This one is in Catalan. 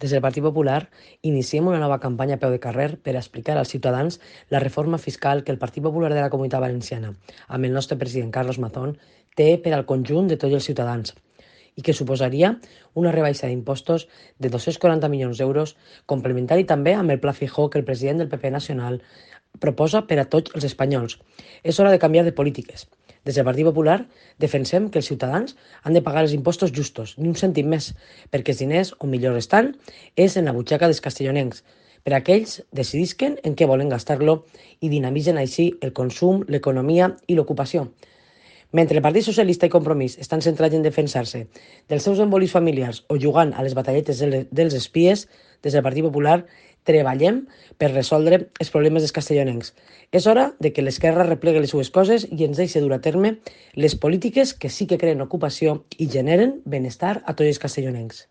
Des del Partit Popular iniciem una nova campanya a peu de carrer per explicar als ciutadans la reforma fiscal que el Partit Popular de la Comunitat Valenciana, amb el nostre president Carlos Mazón, té per al conjunt de tots els ciutadans i que suposaria una rebaixa d'impostos de 240 milions d'euros, complementari també amb el Pla Fijó que el president del PP Nacional proposa per a tots els espanyols. És hora de canviar de polítiques. Des del Partit Popular defensem que els ciutadans han de pagar els impostos justos, ni un cèntim més, perquè els diners on millor estan és en la butxaca dels castellonencs, per a aquells decidisquen en què volen gastar-lo i dinamitzen així el consum, l'economia i l'ocupació. Mentre el Partit Socialista i Compromís estan centrats en defensar-se dels seus embolis familiars o jugant a les batalletes dels espies, des del Partit Popular treballem per resoldre els problemes dels castellonencs. És hora de que l'esquerra replegui les seues coses i ens deixi dur a terme les polítiques que sí que creen ocupació i generen benestar a tots els castellonencs.